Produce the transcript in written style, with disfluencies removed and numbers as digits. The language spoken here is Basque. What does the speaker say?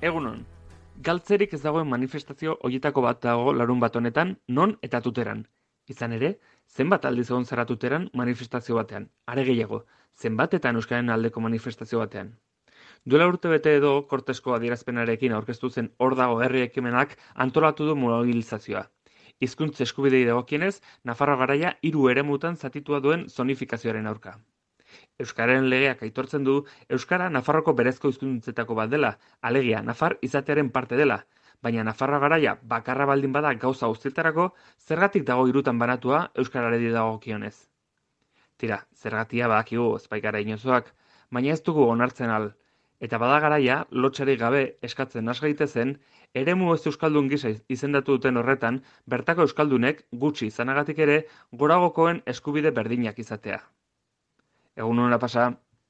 Egunon, galtzerik ez dagoen manifestazio horietako bat dago larunbat honetan, non eta tuteran. Izan ere, zenbat aldiz egon zara tuteran manifestazio batean, are gehiago, zenbatetan euskararen aldeko manifestazio batean. Duela urte bete edo, Kortesko adierazpenarekin aurkeztu zen Hor dago herri ekimenak antolatu du mobilizazioa. Hizkuntz eskubidei dagokienez, Nafarroa Garaia 3 eremutan zatitua duen zonifikazioaren aurka. Euskararen legeak aitortzen du Euskara Nafarroko berezko hizkuntzetako bat dela, alegia Nafar izatearen parte dela, baina Nafarroa Garaia bakarra baldin bada gauza guztietarako, zergatik dago 3 banatua euskarari dagokionez. Tira, zergatia badakigu ezpaikara inozoak, baina ez dugu onartzen al, eta bada garaia lotsarik gabe eskatzen has gaitezen, eremu ez euskaldun gisa izendatu duten horretan, bertako euskaldunek gutxi izanagatik ere goragokoen eskubide berdinak izatea. Egun hona pasa.